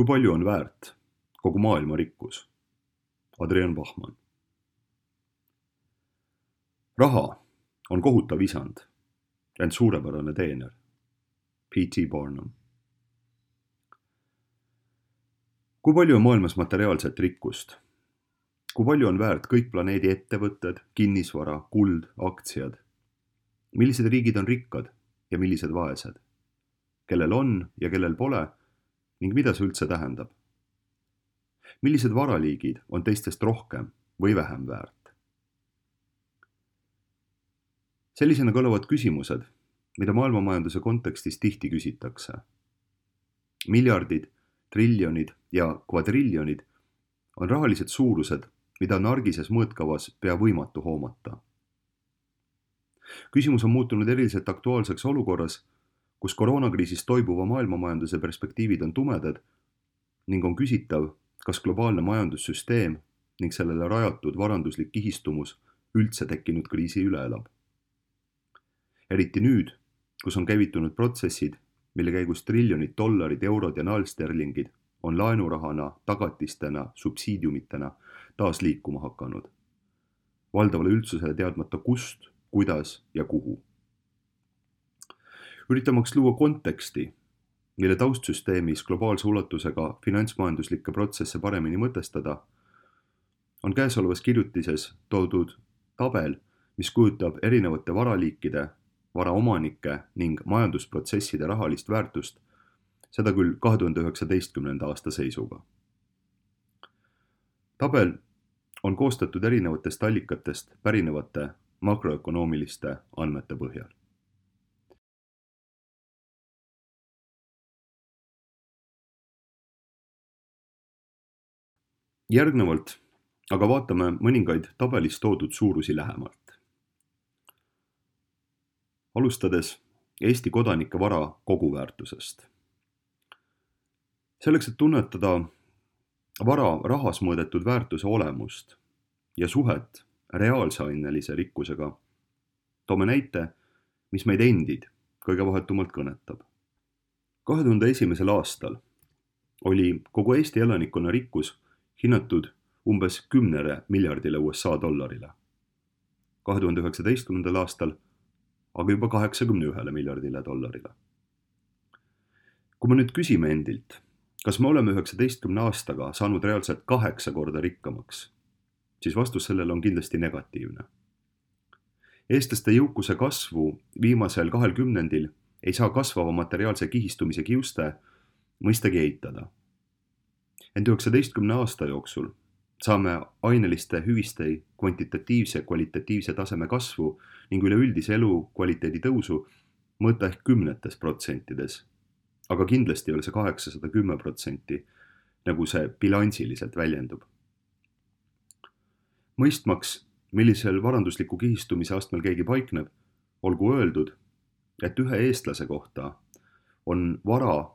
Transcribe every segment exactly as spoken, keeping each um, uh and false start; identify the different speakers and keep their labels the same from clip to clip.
Speaker 1: Kui palju on väärt kogu maailma rikkus? Adrian Bachmann. Raha on kohutav isand, ent suurepärane teener. P T Barnum. Kui palju on maailmas materiaalset rikkust? Kui palju on väärt kõik planeedi ettevõtted, kinnisvara, kuld, aktsiad? Millised riigid on rikkad ja millised vaesed? Kellel on ja kellel pole ning mida see üldse tähendab? Millised varaliigid on teistest rohkem või vähem väärt? Sellisena kõlavad küsimused, mida maailmamajanduse kontekstis tihti küsitakse. Miljardid, triljonid ja kvadriljonid on rahalised suurused, mida on argises mõõtkavas pea võimatu hoomata. Küsimus on muutunud eriliselt aktuaalseks olukorras, kus koroonakriisist toibuva maailmamajanduse perspektiivid on tumedad ning on küsitav, kas globaalne majandussüsteem ning sellele rajatud varanduslik kihistumus üldse tekkinud kriisi üle elab. Eriti nüüd, kus on käivitunud protsessid, mille käigus triljonid dollarid, eurod ja naelsterlingid on laenurahana, tagatistena, subsiidiumitena taas liikuma hakanud. Valdavale üldsusele teadmata kust, kuidas ja kuhu. Üritamaks luua konteksti, mille taustsüsteemis globaalse ulatusega finantsmajanduslikke protsesse paremini mõtestada, on käesolevas kirjutises toodud tabel, mis kujutab erinevate varaliikide, varaomanike ning majandusprotsesside rahalist väärtust, seda küll kahe tuhande üheksateistkümnenda aasta seisuga. Tabel on koostatud erinevatest allikatest pärinevate makroökonoomiliste andmete põhjal. Järgnevalt aga vaatame mõningaid tabelis toodud suurusi lähemalt. Alustades Eesti kodanike vara koguväärtusest. Selleks, et tunnetada vara rahas mõõdetud väärtuse olemust ja suhet reaalse ainelise rikkusega, toome näite, mis meid endid kõige vahetumalt kõnetab. kahe tuhande esimesel aastal oli kogu Eesti elanikkonna rikkus hinnatud umbes kümnele miljardile U S A dollarile. kahe tuhande üheksateistkümnendal aastal aga juba kaheksakümne ühele miljardile dollarile. Kui me nüüd küsime endilt, kas me oleme üheksateistkümne aastaga saanud reaalselt kaheksa korda rikkamaks, siis vastus sellele on kindlasti negatiivne. Eestlaste jõukuse kasvu viimasel kahel kümnendil ei saa kasvava materiaalse kihistumise kiuste mõistagi eitada. Ent üheksateistkümne aasta jooksul saame aineliste hüviste kvantitatiivse ja kvalitatiivse taseme kasvu ning üleüldise elu kvaliteedi tõusu mõõta ehk kümnetes protsentides, aga kindlasti ei ole see kaheksasada kümme protsenti, nagu see bilansiliselt väljendub. Mõistmaks, millisel varandusliku kihistumise astmel keegi paikneb, olgu öeldud, et ühe eestlase kohta on vara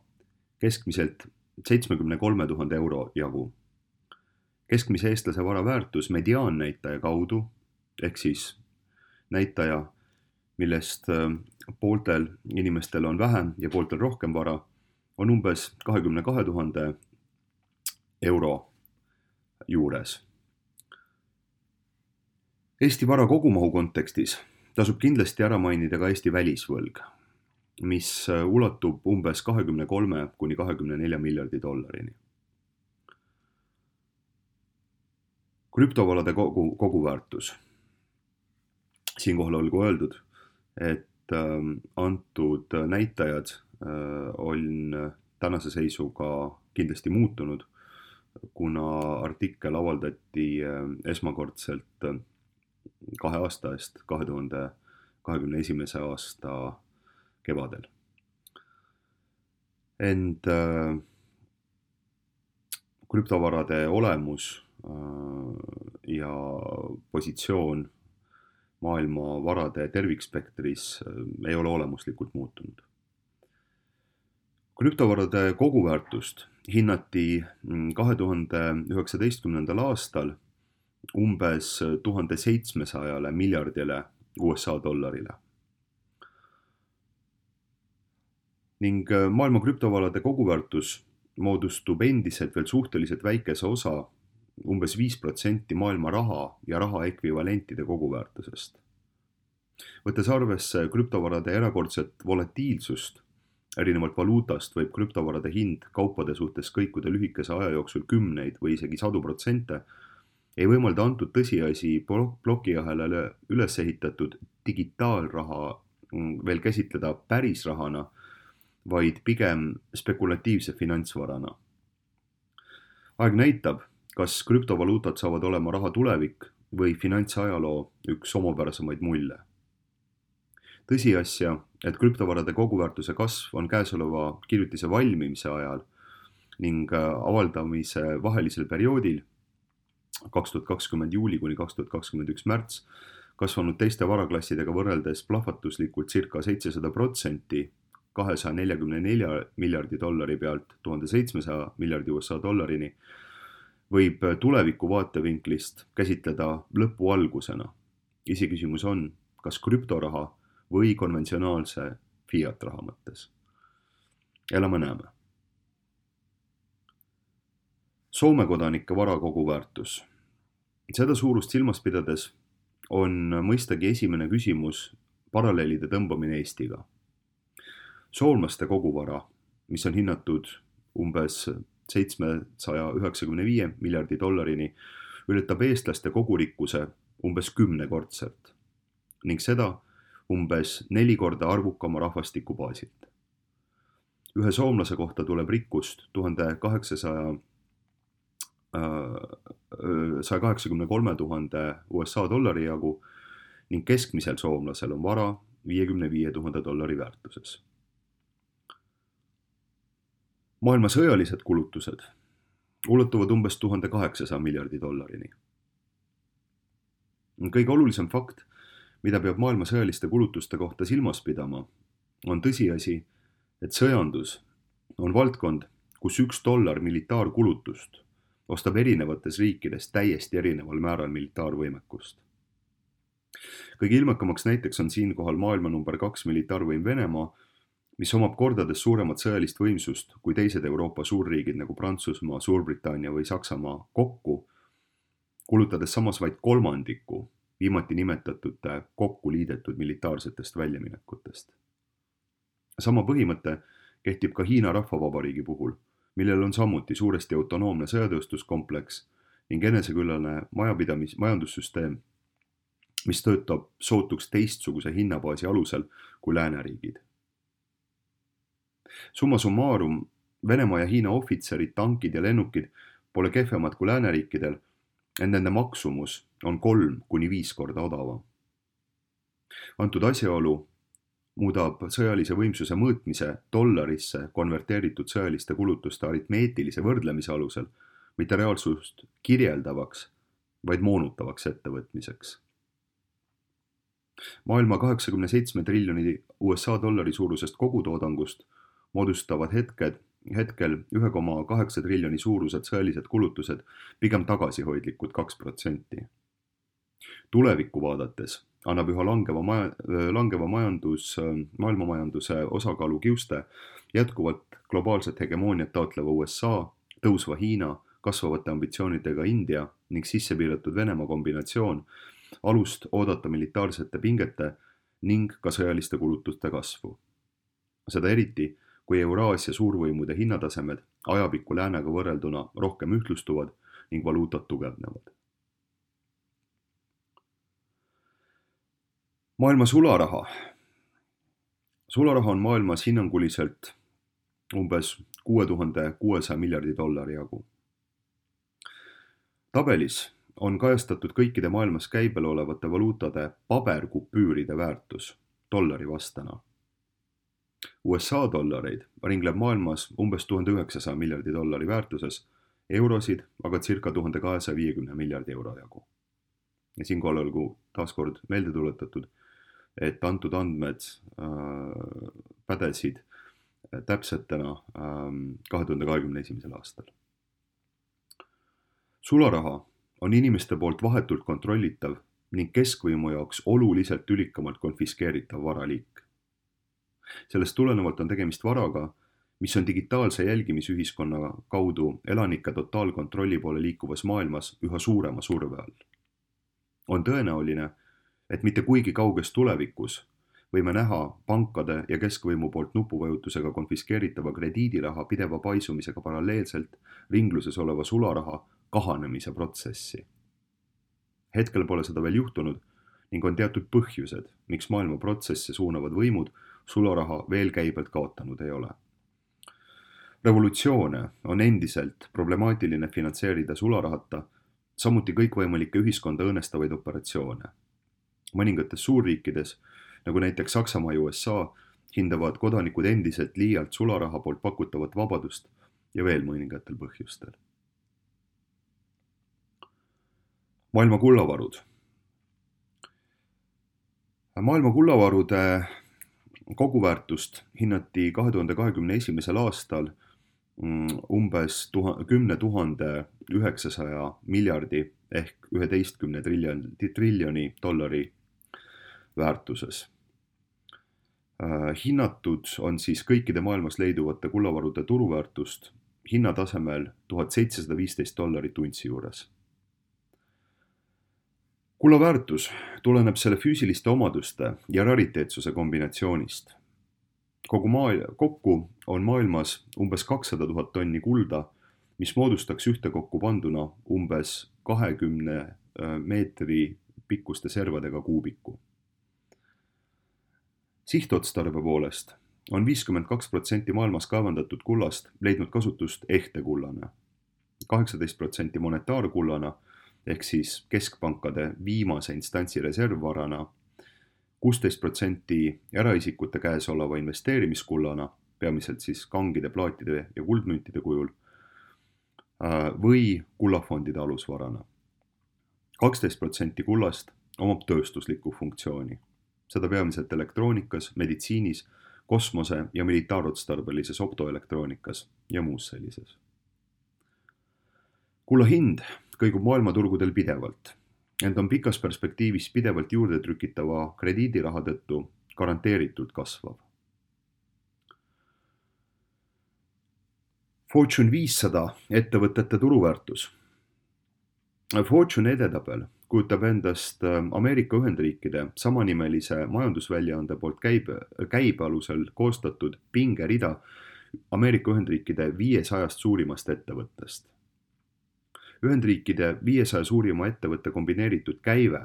Speaker 1: keskmiselt seitsmekümne kolme tuhande euro jagu. Keskmise eestlase vara väärtus mediaannäitaja kaudu, ehk siis näitaja, millest pooltel inimestel on vähem ja pooltel rohkem vara, on umbes kahekümne kahe tuhande euro juures. Eesti vara kogumahu kontekstis tasub kindlasti ära mainida ka Eesti välisvõlg, mis ulatub umbes kahekümne kolme kuni kahekümne nelja miljardi dollarini. Krüptovalade kogu, koguväärtus. Siinkohal olgu öeldud, et antud näitajad on tänase seisuga kindlasti muutunud, kuna artikkel avaldati esmakordselt kahe aasta eest, kahe tuhande kahekümne esimese aasta kevadel. Ent krüptovarade olemus ja positsioon maailma varade tervikspektris ei ole olemuslikult muutunud. Krüptovarade koguväärtust hinnati kahe tuhande üheksateistkümnendal aastal umbes tuhande seitsmesajale miljardile U S A dollarile. Ning maailma krüptovarade koguväärtus moodustub endiselt veel suhteliselt väikese osa, umbes viis protsenti maailma raha ja raha ekvivalentide koguväärtusest. Võttes arvesse krüptovarade erakordset volatiilsust, erinevalt valuutast võib krüptovarade hind kaupade suhtes kõikuda lühikese aja jooksul kümneid või isegi sadu protsente, ei võimalda antud tõsiasi plokiahelale üles ehitatud digitaalraha veel käsitleda päris rahana, vaid pigem spekulatiivse finantsvarana. Aeg näitab, kas krüptovaluutad saavad olema raha tulevik või finantsajaloo üks omapärasemaid mulje. Tõsiasja, et krüptovarade koguväärtuse kasv on käesoleva kirjutise valmimise ajal ning avaldamise vahelisel perioodil kaks tuhat kakskümmend juuli kuni kaks tuhat kakskümmend üks märts kasvanud teiste varaklassidega võrreldes plahvatuslikult circa seitsesada protsenti kahesaja neljakümne nelja miljardi dollari pealt tuhande seitsmesaja miljardi U S A dollarini, võib tuleviku vaatevinklist käsitleda lõpu algusena. Isiküsimus on, kas krüptoraha või konventsionaalse fiat raha mõttes. Elame näeme. Soome kodanike vara koguväärtus. Seda suurust silmas pidades on mõistagi esimene küsimus paralleelide tõmbamine Eestiga. Soomlaste koguvara, mis on hinnatud umbes seitsmesaja üheksakümne viie miljardi dollarini, ületab eestlaste kogurikkuse umbes kümnekordselt ning seda umbes neli korda arvukama rahvastiku baasilt. Ühe soomlase kohta tuleb rikkust tuhande kaheksasaja saja kaheksakümne kolme tuhande U S A dollari jagu ning keskmisel soomlasel on vara viiekümne viie tuhande dollari väärtuses. Maailma sõjalised kulutused ulatuvad umbes tuhande kaheksasaja miljardi dollarini. Kõige olulisem fakt, mida peab maailma sõjaliste kulutuste kohta silmas pidama, on tõsiasi, et sõjandus on valdkond, kus üks dollar militaarkulutust ostab erinevates riikides täiesti erineval määral militaarvõimekust. Kõige ilmekamaks näiteks on siinkohal maailma number kaks militaarvõim Venemaa, mis omab kordades suuremat sõjalist võimsust kui teised Euroopa suurriigid nagu Prantsusmaa, Suurbritannia või Saksamaa kokku, kulutades samas vaid kolmandiku viimati nimetatute kokku liidetud militaarsetest väljaminekutest. Sama põhimõte kehtib ka Hiina Rahvavabariigi puhul, millel on samuti suuresti autonoomne sõjatööstuskompleks ning eneseküllane majapidamis majandussüsteem, mis töötab sootuks teistsuguse hinnabaasi alusel kui lääneriigid. Summa summarum, Venemaa ja Hiina ohvitserid, tankid ja lennukid pole kehvemad kui lääneriikidel, ent nende maksumus on kolm kuni viis korda odavam. Antud asjaolu muudab sõjalise võimsuse mõõtmise dollarisse konverteeritud sõjaliste kulutuste aritmeetilise võrdlemise alusel mitte reaalsust kirjeldavaks, vaid moonutavaks ettevõtmiseks. Maailma kaheksakümne seitsme triljoni U S A dollari suurusest kogutoodangust moodustavad hetked, hetkel üks koma kaheksa triljoni suurused sõjalised kulutused pigem tagasihoidlikud kaks protsenti. Tulevikku vaadates annab üha langeva, maja, langeva majandus, maailmamajanduse osakaalu kiuste jätkuvalt globaalset hegemooniat taotleva U S A, tõusva Hiina, kasvavate ambitsioonidega India ning sissepiiratud Venemaa kombinatsioon alust oodata militaarsete pingete ning ka sõjaliste kulutuste kasvu. Seda eriti, kui Euraasia suurvõimude hinnatasemed ajapikku läänega võrrelduna rohkem ühtlustuvad ning valuutad tugevnevad. Maailma sularaha. Sularaha on maailmas hinnanguliselt umbes kuue tuhande kuuesaja miljardi dollari jagu. Tabelis on kajastatud kõikide maailmas käibel olevate valuutade paberkupüüride väärtus dollari vastana. U S A dollareid ringleb maailmas umbes tuhande üheksasaja miljardi dollari väärtuses, eurosid aga circa tuhande kahesaja viiekümne miljardi euro jagu. Ja siinkohal olgu taaskord meelde tuletatud, et antud andmed äh, pädesid täpsetena äh, kahe tuhande kahekümne esimesel aastal. Sularaha on inimeste poolt vahetult kontrollitav ning keskvõimu jaoks oluliselt ülikamalt konfiskeeritav varaliik. Sellest tulenevalt on tegemist varaga, mis on digitaalse jälgimisühiskonna kaudu elanike totaalkontrolli poole liikuvas maailmas üha suurema surve all. On tõenäoline, et mitte kuigi kauges tulevikus võime näha pankade ja keskvõimu poolt nupuvajutusega konfiskeeritava krediidiraha pideva paisumisega paralleelselt ringluses oleva sularaha kahanemise protsessi. Hetkel pole seda veel juhtunud ning on teatud põhjused, miks maailma protsesse suunavad võimud sularaha veel käibelt kaotanud ei ole. Revolutsioone on endiselt problemaatiline finantseerida sularahata, samuti kõikvõimalikke ühiskonda õõnestavaid operatsioone. Mõningates suurriikides, nagu näiteks Saksamaa ja U S A, hindavad kodanikud endiselt liialt sularaha poolt pakutavat vabadust ja veel mõningatel põhjustel. Maailma kullavarud. Maailma kullavarude koguväärtust hinnati kahe tuhande kahekümne esimesel aastal umbes kümne tuhande üheksasaja miljardi ehk üheteistkümne triljoni dollari väärtuses. Hinnatud on siis kõikide maailmas leiduvate kullavarude turuväärtust hinnatasemel tuhat seitsesada viisteist dollarit untsi juures. Kulla väärtus tuleneb selle füüsiliste omaduste ja rariteetsuse kombinatsioonist. Kogu maa, kokku on maailmas umbes kakssada tuhat tonni kulda, mis moodustaks ühtekokku panduna umbes kahekümne meetri pikkuste servadega kuubiku. Sihtotstarbe poolest on viiskümmend kaks protsenti maailmas kaevandatud kullast leidnud kasutust ehte kullana, kaheksateist protsenti monetaarkullana ehk siis keskpankade viimase instantsi reservvarana, kuusteist protsenti eraisikute käes oleva investeerimiskullana, peamiselt siis kangide, plaatide ja kuldmüntide kujul, või kullafondide alusvarana. kaksteist protsenti kullast omab tööstuslikku funktsiooni, seda peamiselt elektroonikas, meditsiinis, kosmose- ja militaarotstarbelises optoelektroonikas ja muus sellises. Kulla hind kõigub maailmaturgudel pidevalt, ent on pikas perspektiivis pidevalt juurde trükitava krediidiraha tõttu garanteeritult kasvav. Fortune viissada ettevõtete turuväärtus. Fortune edetabel kujutab endast Ameerika Ühendriikide samanimelise majandusväljaande poolt käibe, käibe alusel koostatud pingerida Ameerika Ühendriikide viiesajast suurimast ettevõttest. Ühendriikide viiesaja suurima ettevõtte kombineeritud käive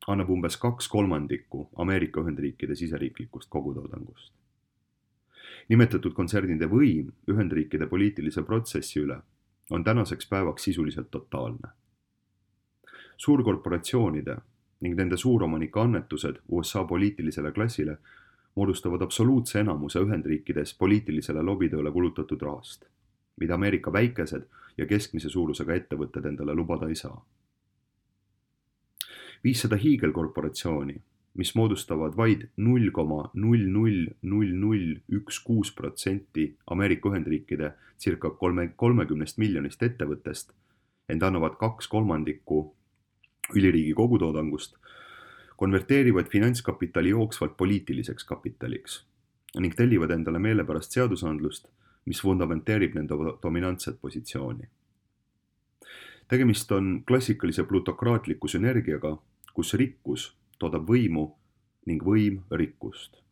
Speaker 1: annab umbes kaks kolmandikku Ameerika Ühendriikide siseriiklikust kogutoodangust. Nimetatud kontsernide võim Ühendriikide poliitilise protsessi üle on tänaseks päevaks sisuliselt totaalne. Suurkorporatsioonide ning nende suuromanike annetused U S A poliitilisele klassile moodustavad absoluutse enamuse Ühendriikides poliitilisele lobitööle kulutatud rahast, mida Ameerika väikesed ja keskmise suurusega ettevõtted endale lubada ei saa. viissada hiigelkorporatsiooni, mis moodustavad vaid null koma null null null null üks kuus protsenti Ameerika Ühendriikide circa kolmekümnest miljonist ettevõttest, ent annavad kaks kolmandikku üliriigi kogutoodangust, konverteerivad finantskapitali jooksvalt poliitiliseks kapitaliks ning tellivad endale meelepärast seadusandlust, mis fundamenteerib nende dominantset positsiooni. Tegemist on klassikalise plutokraatliku sünergiaga, kus rikkus toodab võimu ning võim rikkust.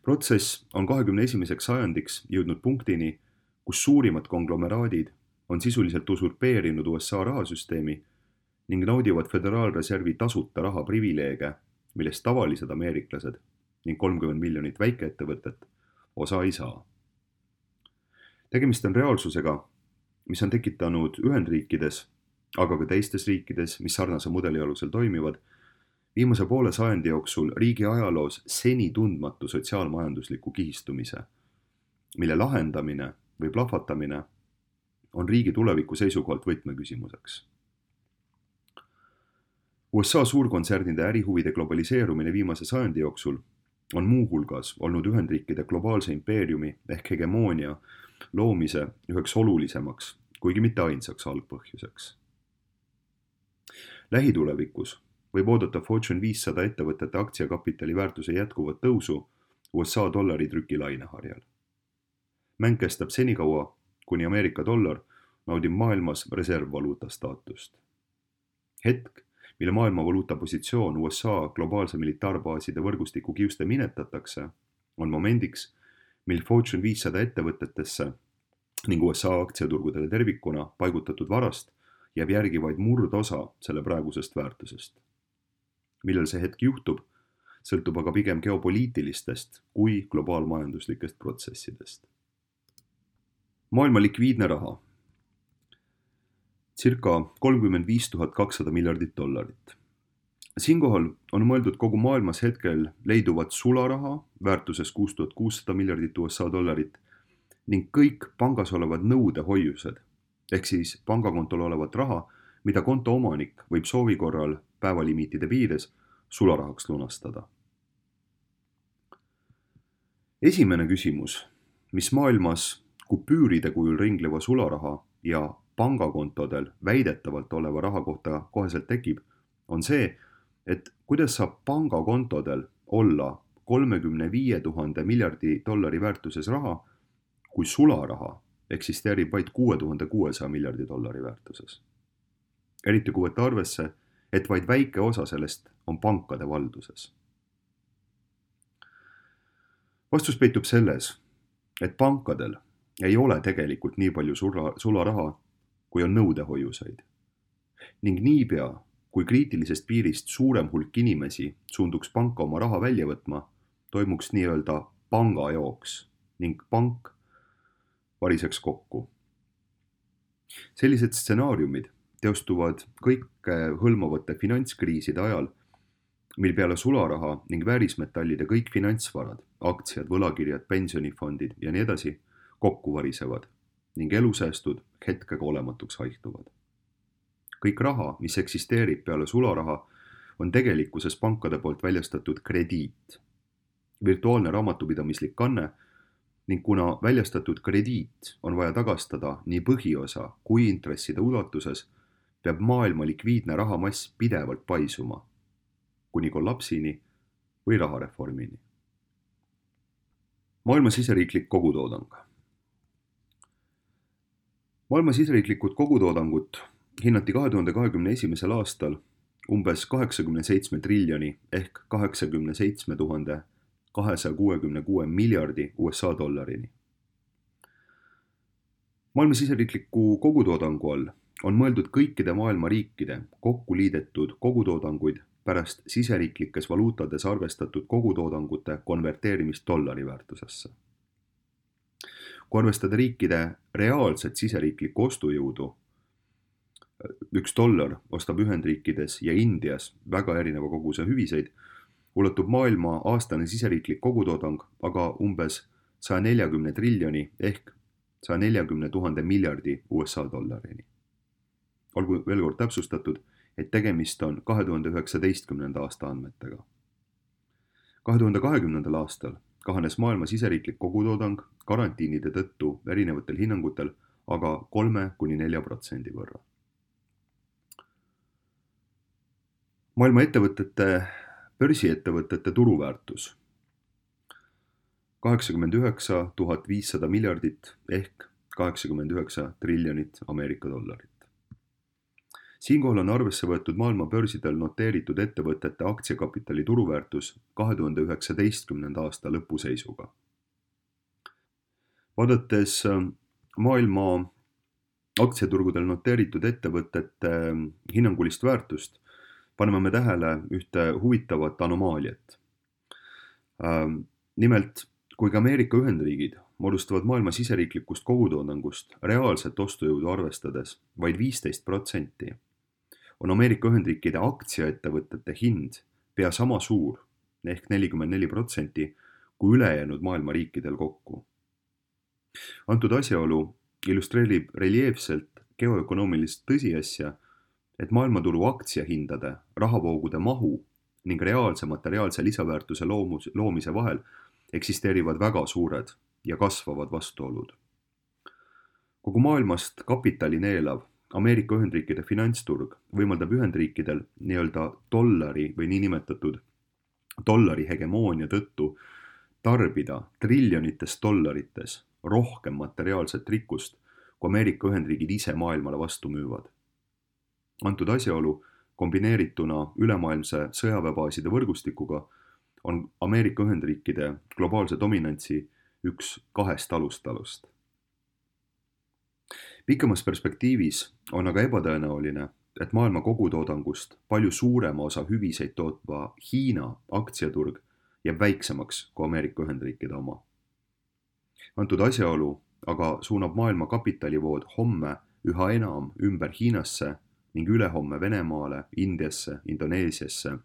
Speaker 1: Protsess on kahekümne esimeseks sajandiks jõudnud punktini, kus suurimad konglomeraadid on sisuliselt usurpeerinud U S A rahasüsteemi ning naudivad Föderaalreservi tasuta raha privileege, millest tavalised ameeriklased ning kolmkümmend miljonit väikeettevõtet osa ei saa. Tegemist on reaalsusega, mis on tekitanud Ühendriikides, aga ka teistes riikides, mis sarnase mudeli alusel toimivad, viimase poole sajandi jooksul riigi ajaloos seni tundmatu sotsiaalmajandusliku kihistumise, mille lahendamine või plahvatamine on riigi tuleviku seisukohalt võtmeküsimuseks. U S A suurkontsernide ärihuvide globaliseerumine viimase sajandi jooksul on muuhulgas olnud Ühendriikide globaalse impeeriumi ehk hegemoonia loomise üheks olulisemaks, kuigi mitte ainsaks algpõhjuseks. Lähitulevikus võib oodata Fortune viissada ettevõtete aktsiakapitali väärtuse jätkuvat tõusu U S A dollari trüki laineharjal. mäng kestab senikaua, kuni Ameerika dollar naudib maailmas reservvaluuta staatust. Hetk, mille maailma valuuta positsioon U S A globaalse militaarbaaside võrgustiku kiuste minetatakse, on momendiks, mil Fortune viissada ettevõtetesse ning U S A aktsiaturgudele tervikuna paigutatud varast jääb järgi vaid murdosa selle praegusest väärtusest. Millal see hetk juhtub, sõltub aga pigem geopoliitilistest kui globaalmajanduslikest protsessidest. Maailma likviidne raha. Circa kolmkümmend viis tuhat kakssada miljardit dollarit. Siinkohal on mõeldud kogu maailmas hetkel leiduvat sularaha väärtuses kuus tuhat kuussada miljardit U S A dollarit ning kõik pangas olevad nõudehoiused, ehk siis pangakontol olevat raha, mida konto omanik võib soovi korral päevalimiitide piires sularahaks lunastada. Esimene küsimus, mis maailmas kupüüride kujul ringleva sularaha ja pangakontodel väidetavalt oleva raha kohta koheselt tekib, on see, et kuidas saab pangakontodel olla kolmekümne viie tuhande miljardi dollari väärtuses raha, kui sularaha eksisteerib vaid kuue tuhande kuuesaja miljardi dollari väärtuses. Eriti kui võtta arvesse, et vaid väike osa sellest on pankade valduses. Vastus peitub selles, et pankadel ei ole tegelikult nii palju sula, sularaha, kui on nõudehoiuseid. Ning niipea, kui kriitilisest piirist suurem hulk inimesi suunduks panka oma raha välja võtma, toimuks nii-öelda pangajooks ning pank variseks kokku. Sellised stsenaariumid teostuvad kõike hõlmavate finantskriiside ajal, mil peale sularaha ning väärismetallide kõik finantsvarad, aktsiad, võlakirjad, pensionifondid ja nii edasi kokku varisevad ning elusäästud hetkega olematuks haihtuvad. Kõik raha, mis eksisteerib peale sularaha, on tegelikkuses pankade poolt väljastatud krediit, virtuaalne raamatupidamislik kanne ning kuna väljastatud krediit on vaja tagastada nii põhiosa kui intresside ulatuses, peab maailma likviidne rahamass pidevalt paisuma, kuni kollapsini või rahareformini. Maailma siseriiklik kogutoodang. Maailma siseriiklikud kogutoodangut hinnati kahe tuhande kahekümne esimesel aastal umbes kaheksakümne seitsme triljoni ehk kaheksakümne seitsme tuhande kahesaja kuuekümne kuue miljardi U S A dollarini. Maailma siseriikliku kogutoodangu all on mõeldud kõikide maailma riikide kokku liidetud kogutoodanguid pärast siseriiklikes valuutades arvestatud kogutoodangute konverteerimist dollari väärtusesse. Kui arvestada riikide reaalset siseriiklikku ostujõudu, üks dollar ostab Ühendriikides ja Indias väga erineva koguse hüviseid, ulatub maailma aastane siseriiklik kogutoodang aga umbes saja neljakümne triljoni ehk saja neljakümne tuhande miljardi U S A dollarini. Olgu veel kord täpsustatud, et tegemist on kahe tuhande üheksateistkümnenda aasta andmetega. kahe tuhande kahekümnendal aastal kahanes maailma siseriiklik kogutoodang karantiinide tõttu erinevatel hinnangutel aga kolme kuni nelja protsendi võrra. Maailma ettevõtete, börsiettevõtete turuväärtus kaheksakümmend üheksa tuhat viissada miljardit ehk kaheksakümmend üheksa triljonit Ameerika dollarit. Siinkohal on arvesse võetud maailma börsidel noteeritud ettevõtete aktsiakapitali turuväärtus kahe tuhande üheksateistkümnenda aasta lõpuseisuga. Vaadates maailma aktsiaturgudel noteeritud ettevõtete hinnangulist väärtust, paneme me tähele ühte huvitavat anomaaliat. Nimelt, kui Ameerika Ühendriigid moodustavad maailma siseriiklikust kogutoodangust reaalset ostujõudu arvestades vaid viisteist protsenti, on Ameerika Ühendriikide aktsiaettevõtete hind pea sama suur ehk nelikümmend neli protsenti kui ülejäänud maailma riikidel kokku. Antud asjaolu illustreerib reljeefselt geoökonoomilist tõsiasja, et maailmaturu aktsiahindade, rahavoogude mahu ning reaalse materiaalse lisaväärtuse loomus, loomise vahel eksisteerivad väga suured ja kasvavad vastuolud. Kogu maailmast kapitali neelav Ameerika Ühendriikide finantsturg võimaldab Ühendriikidel nii-öelda dollari või niinimetatud dollari hegemoonia tõttu tarbida triljonites dollarites rohkem materiaalset rikkust, kui Ameerika Ühendriigid ise maailmale vastu müüvad. Antud asjaolu kombineerituna ülemaailmse sõjaväebaaside võrgustikuga on Ameerika Ühendriikide globaalse dominantsi üks kahest alustalust. Pikemas perspektiivis on aga ebatõenäoline, et maailma kogutoodangust palju suurema osa hüviseid tootva Hiina aktsiaturg jääb väiksemaks kui Ameerika Ühendriikide oma. Antud asjaolu aga suunab maailma kapitalivood homme üha enam ümber Hiinasse ning ülehomme Venemaale, Indiasse, Indoneesiasse,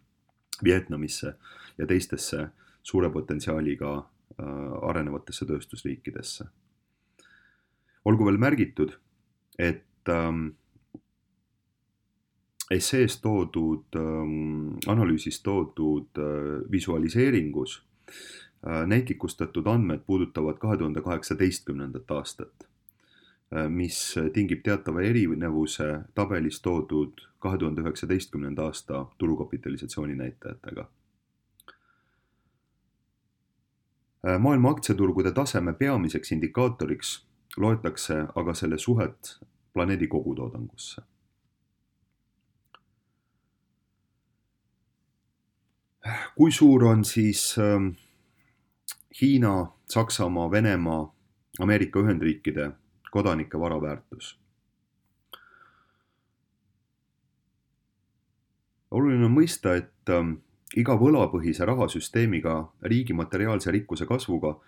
Speaker 1: Vietnamisse ja teistesse suure potentsiaaliga arenevatesse tööstusriikidesse. Olgu veel märgitud, et ähm, essees toodud, ähm, analüüsis toodud äh, visualiseeringus äh, näitlikustatud andmed puudutavad kahe tuhande kaheksateistkümnendat aastat, äh, mis tingib teatava erinevuse tabelis toodud kahe tuhande üheksateistkümnenda aasta turukapitalisatsiooni näitajatega. Maailma aktsiaturgude taseme peamiseks indikaatoriks loetakse aga selle suhet planeedi kogutoodangusse. Kui suur on siis Hiina, Saksamaa, Venemaa, Ameerika Ühendriikide kodanike varaväärtus? Oluline on mõista, et iga võlapõhise rahasüsteemiga riigi materiaalse rikkuse kasvuga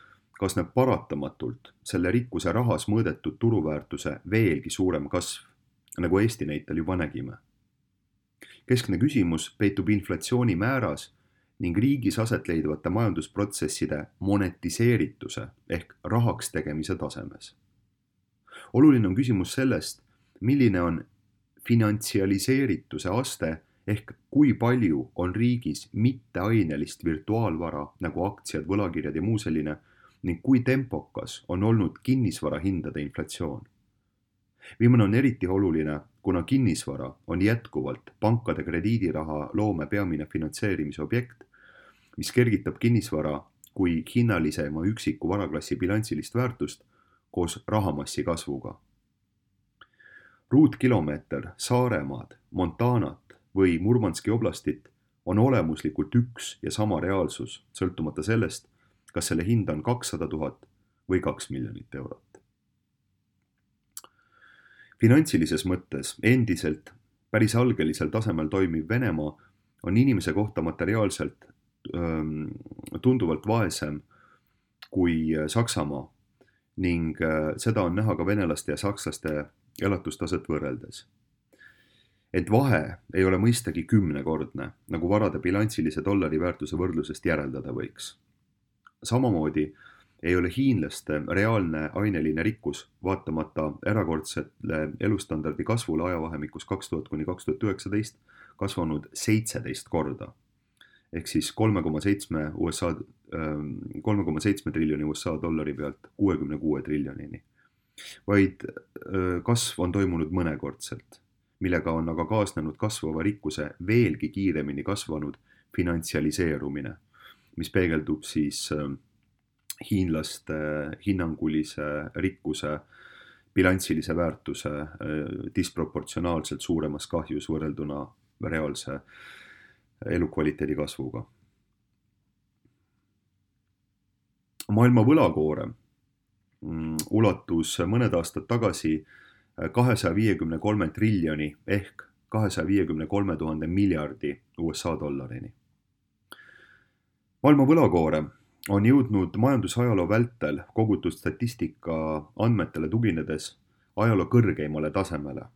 Speaker 1: kasneb paratamatult selle rikkuse rahas mõõdetud turuväärtuse veelgi suurem kasv, nagu Eesti näitel juba nägime. Keskne küsimus peitub inflatsiooni määras ning riigis aset leidvate majandusprotsesside monetiseerituse ehk rahaks tegemise tasemes. Oluline on küsimus sellest, milline on finantsialiseerituse aste ehk kui palju on riigis mitteainelist virtuaalvara nagu aktsiad, võlakirjad ja muu selline ning kui tempokas on olnud kinnisvara hindade inflatsioon. Viimane on eriti oluline, kuna kinnisvara on jätkuvalt pankade krediidiraha loome peamine finantseerimise objekt, mis kergitab kinnisvara kui hinnalisema üksiku varaklassi bilansilist väärtust koos rahamassi kasvuga. Ruutkilomeeter Saaremaad, Montanat või Murmanski oblastit on olemuslikult üks ja sama reaalsus, sõltumata sellest, kas selle hind on kakssada tuhat või kaks miljonit eurot. Finantsilises mõttes endiselt päris algelisel tasemel toimiv Venemaa on inimese kohta materiaalselt öö, tunduvalt vaesem kui Saksamaa ning öö, seda on näha ka venelaste ja sakslaste elatustaset võrreldes. Ent vahe ei ole mõistagi kümnekordne, nagu varade bilansilise dollari väärtuse võrdlusest järeldada võiks. Samamoodi ei ole hiinlaste reaalne aineline rikkus vaatamata erakordsele elustandardi kasvule ajavahemikus kaks tuhat kuni kaks tuhat üheksateist kasvanud seitseteist korda. Ehk siis kolme koma seitsme U S A, kolme koma seitsme triljoni U S A dollari pealt kuuekümne kuue triljonini. Vaid kasv on toimunud mõnekordselt, millega on aga kaasnenud kasvava rikkuse veelgi kiiremini kasvanud finantsialiseerumine, mis peegeldub siis hiinlaste hinnangulise rikkuse bilansilise väärtuse disproportsionaalselt suuremas kahjus võrrelduna reaalse elukvaliteedi kasvuga. Maailma võlakoorem ulatus mõned aastad tagasi kahesaja viiekümne kolme triljoni ehk kahesaja viiekümne kolme tuhande miljardi U S A dollarini. Maailma võlakoorem on jõudnud majandusajaloo vältel kogutud statistika andmetele tuginedes ajaloo kõrgeimale tasemele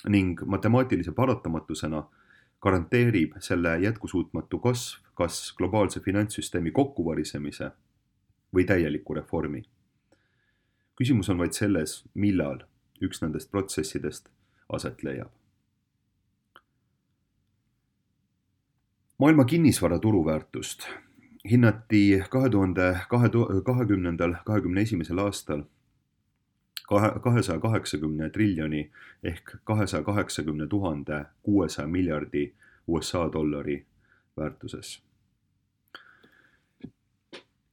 Speaker 1: ning matemaatilise paratamatusena garanteerib selle jätkusuutmatu kasv kas globaalse finantssüsteemi kokkuvarisemise või täieliku reformi. Küsimus on vaid selles, millal üks nendest protsessidest aset leiab. Maailma kinnisvara turuväärtust hinnati kahe tuhande kahekümnendal kahekümne esimesel aastal kahesaja kaheksakümne triljoni ehk kahesaja kaheksakümne tuhande kuuesaja miljardi U S A dollari väärtuses.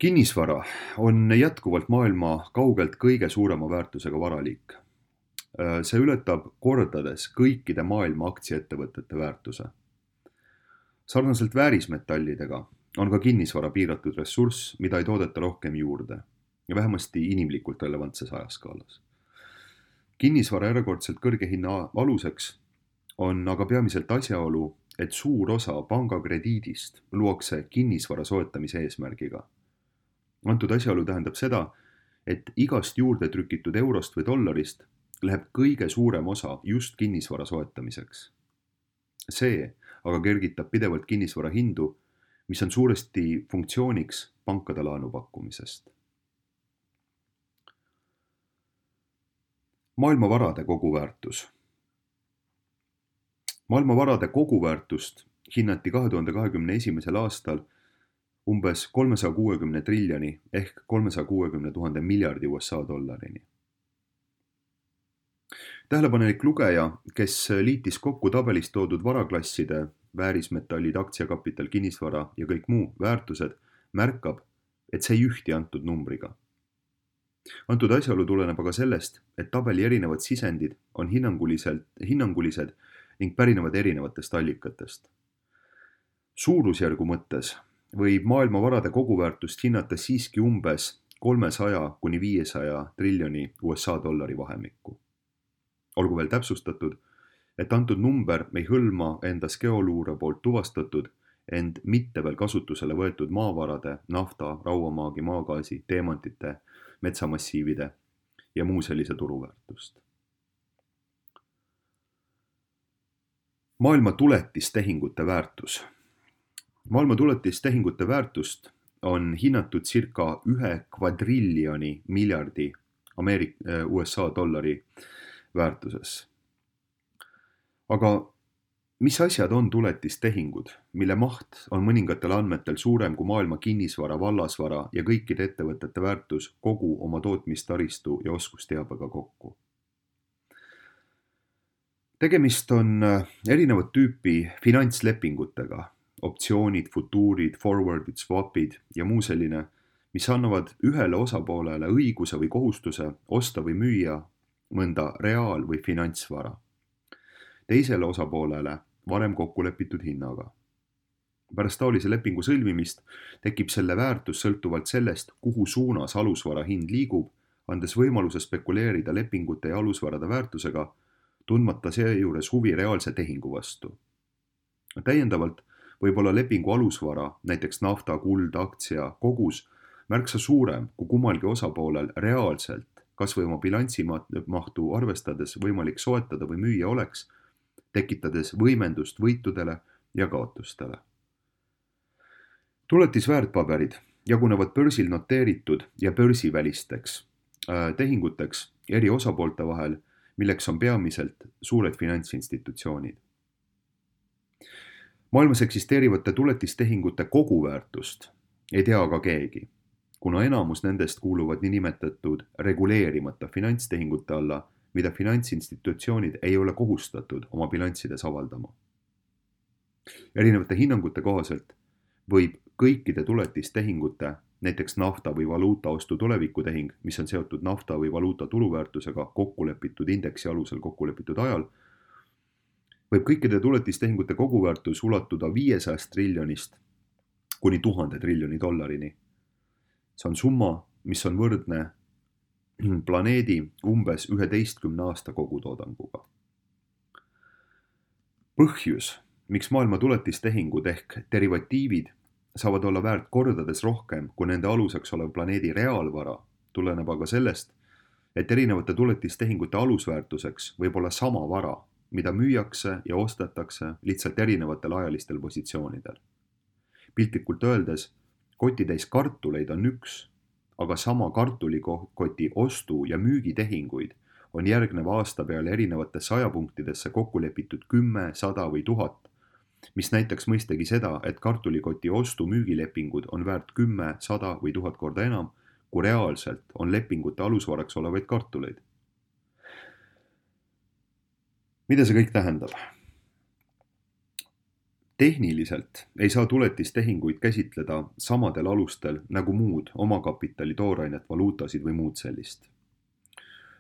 Speaker 1: Kinnisvara on jätkuvalt maailma kaugelt kõige suurema väärtusega varaliik. See ületab kordades kõikide maailma aktsiaettevõtete väärtuse. Sarnaselt väärismetallidega on ka kinnisvara piiratud ressurss, mida ei toodeta rohkem juurde ja vähemasti inimlikult relevantses ajaskaalas. Kinnisvara erakordselt kõrge hinna aluseks on aga peamiselt asjaolu, et suur osa pangakrediidist luuakse kinnisvara soetamise eesmärgiga. Antud asjaolu tähendab seda, et igast juurde trükitud eurost või dollarist läheb kõige suurem osa just kinnisvara soetamiseks. See aga kergitab pidevalt kinnisvara hindu, mis on suuresti funktsiooniks pankade laenupakkumisest. Maailma varade koguväärtus. Maailma varade koguväärtust hinnati kahe tuhande kahekümne esimesel aastal umbes kolmesaja kuuekümne triljoni ehk kolmesaja kuuekümne tuhande miljardi U S A dollarini. Tähelepanelik lugeja, kes liitis kokku tabelis toodud varaklasside, väärismetallid, aktsiakapital, kinnisvara ja kõik muu väärtused, märkab, et see ei ühti antud numbriga. Antud asjaolu tuleneb aga sellest, et tabeli erinevad sisendid on hinnanguliselt, hinnangulised ning pärinevad erinevatest allikatest. Suurusjärgu mõttes võib maailma varade koguväärtust hinnata siiski umbes kolmesaja kuni viiesaja triljoni U S A dollari vahemikku. Olgu veel täpsustatud, et antud number ei hõlma endas geoluure poolt tuvastatud, ent mitte veel kasutusele võetud maavarade, nafta, rauamaagi, maagaasi, teemantite, metsamassiivide ja muu sellise turuväärtust. Maailma tuletistehingute väärtus. Maailma tuletistehingute väärtust on hinnatud circa ühe kvadriljoni miljardi Ameerik- U S A dollari väärtuses. Aga mis asjad on tuletistehingud, mille maht on mõningatel andmetel suurem kui maailma kinnisvara, vallasvara ja kõikide ettevõtete väärtus kogu oma tootmistaristu ja oskusteabega kokku? Tegemist on erinevat tüüpi finantslepingutega, optsioonid, futuurid, forwardid, swapid ja muu selline, mis annavad ühele osapoolele õiguse või kohustuse osta või müüa mõnda reaal- või finantsvara. Teisele osapoolele varem kokku lepitud hinnaga. Pärast taolise lepingu sõlmimist tekib selle väärtus sõltuvalt sellest, kuhu suunas alusvara hind liigub, andes võimaluse spekuleerida lepingute ja alusvarade väärtusega, tundmata seejuures huvi reaalse tehingu vastu. Täiendavalt võib olla lepingu alusvara, näiteks nafta, kuld, aktsia, kogus, märksa suurem kui kummalgi osapoolel reaalselt, kas või oma bilansimahtu arvestades võimalik soetada või müüa oleks, tekitades võimendust võitudele ja kaotustele. Tuletisväärtpaberid jagunevad börsil noteeritud ja börsivälisteks äh, tehinguteks eri osapoolte vahel, milleks on peamiselt suured finantsinstitutsioonid. Maailmas eksisteerivate tuletistehingute koguväärtust ei tea aga keegi, kuna enamus nendest kuuluvad niinimetatud reguleerimata finantstehingute alla, mida finantsinstitutsioonid ei ole kohustatud oma bilanssides avaldama. Erinevate hinnangute kohaselt võib kõikide tuletistehingute, näiteks nafta või valuuta ostu tulevikutehing, mis on seotud nafta või valuuta turuväärtusega kokkulepitud indeksi alusel kokkulepitud ajal, võib kõikide tuletistehingute koguväärtus ulatuda viiesajast triljonist kuni tuhande triljoni dollarini. See on summa, mis on võrdne planeedi umbes üheteistkümne aasta kogutoodanguga. Põhjus, miks maailma tuletistehingud ehk derivatiivid saavad olla väärt kordades rohkem kui nende aluseks olev planeedi reaalvara, tuleneb aga sellest, et erinevate tuletistehingute alusväärtuseks võib olla sama vara, mida müüakse ja ostetakse lihtsalt erinevatel ajalistel positsioonidel. Piltlikult öeldes, kotitäis kartuleid on üks, aga sama kartulikoti ostu- ja müügitehinguid on järgneva aasta peale erinevatesse ajapunktidesse kokku lepitud kümme, sada või tuhat, mis näitaks mõistagi seda, et kartulikoti ostu-müügilepingud on väärt kümme, sada või tuhat korda enam, kui reaalselt on lepingute alusvaraks olevaid kartuleid. Mida see kõik tähendab? Tehniliselt ei saa tuletistehinguid käsitleda samadel alustel nagu muud omakapitali toorainet, valuutasid või muud sellist.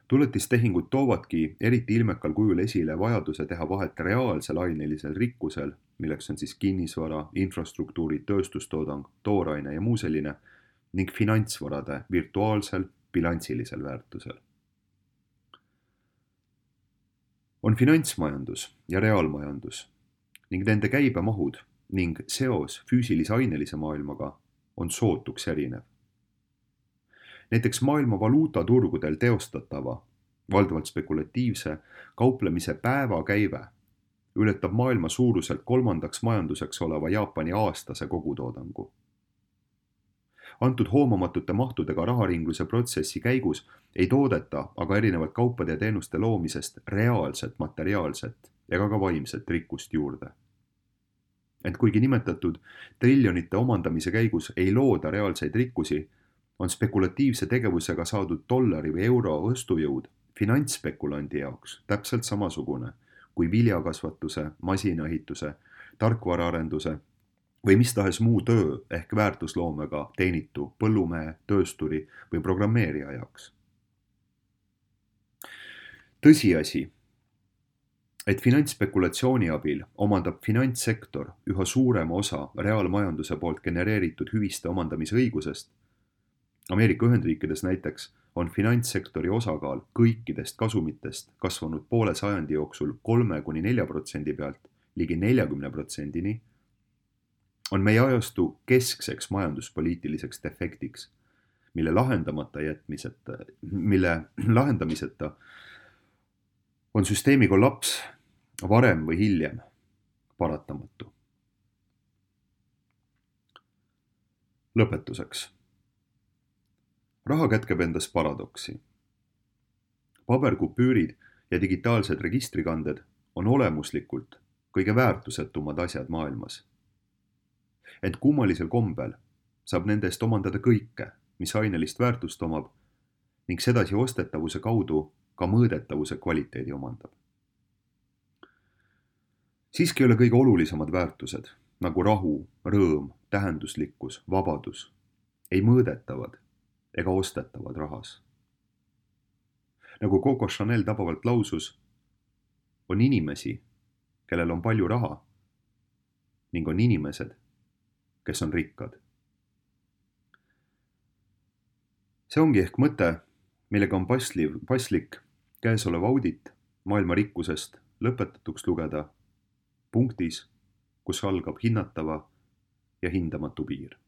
Speaker 1: Tuletistehingud toovadki eriti ilmekal kujul esile vajaduse teha vahet reaalsel ainelisel rikkusel, milleks on siis kinnisvara, infrastruktuuri, tööstustoodang, tooraine ja muu selline, ning finantsvarade virtuaalsel bilansilisel väärtusel. On finantsmajandus ja reaalmajandus ning nende käibemahud ning seos füüsilise ainelise maailmaga on sootuks erinev. Näiteks maailma valuutaturgudel teostatava, valdavalt spekulatiivse, kauplemise päevakäive ületab maailma suuruselt kolmandaks majanduseks oleva Jaapani aastase kogutoodangu. Antud hoomamatute mahtudega raharingluse protsessi käigus ei toodeta aga erinevalt kaupade ja teenuste loomisest reaalset materiaalset ega ka vaimset rikkust juurde. Ent kuigi nimetatud triljonite omandamise käigus ei looda reaalseid rikkusi, on spekulatiivse tegevusega saadud dollari või euro ostujõud finantsspekulandi jaoks täpselt samasugune kui viljakasvatuse, masinaehituse, tarkvaraarenduse või mis tahes muu töö ehk väärtusloomega teenitu põllumehe, töösturi või programmeerija jaoks. Tõsiasi, et finantsspekulatsiooni abil omandab finantssektor üha suurema osa reaalmajanduse poolt genereeritud hüviste omandamise õigusest. Ameerika Ühendriikides näiteks on finantssektori osakaal kõikidest kasumitest kasvanud poole sajandi jooksul kolme kuni nelja protsendi pealt ligi neljakümne protsendini, on meie ajastu keskseks majanduspoliitiliseks defektiks, mille lahendamata jätmiseta, mille lahendamiseta on süsteemi kollaps varem või hiljem paratamatu. Lõpetuseks. Raha kätkeb endas paradoksi. Paberkupüürid ja digitaalsed registrikanded on olemuslikult kõige väärtusetumad asjad maailmas. Ent kummalisel kombel saab nendest omandada kõike, mis ainelist väärtust omab ning sedasi ostetavuse kaudu ka mõõdetavuse kvaliteedi omandab. Siiski ei ole kõige olulisemad väärtused, nagu rahu, rõõm, tähenduslikkus, vabadus, ei mõõdetavad ega ostetavad rahas. Nagu Coco Chanel tabavalt lausus, on inimesi, kellel on palju raha ning on inimesed, kes on rikkad. See ongi ehk mõte, millega on pasliv, paslik käesolev audit maailma rikkusest lõpetatuks lugeda punktis, kus algab hinnatava ja hindamatu piir.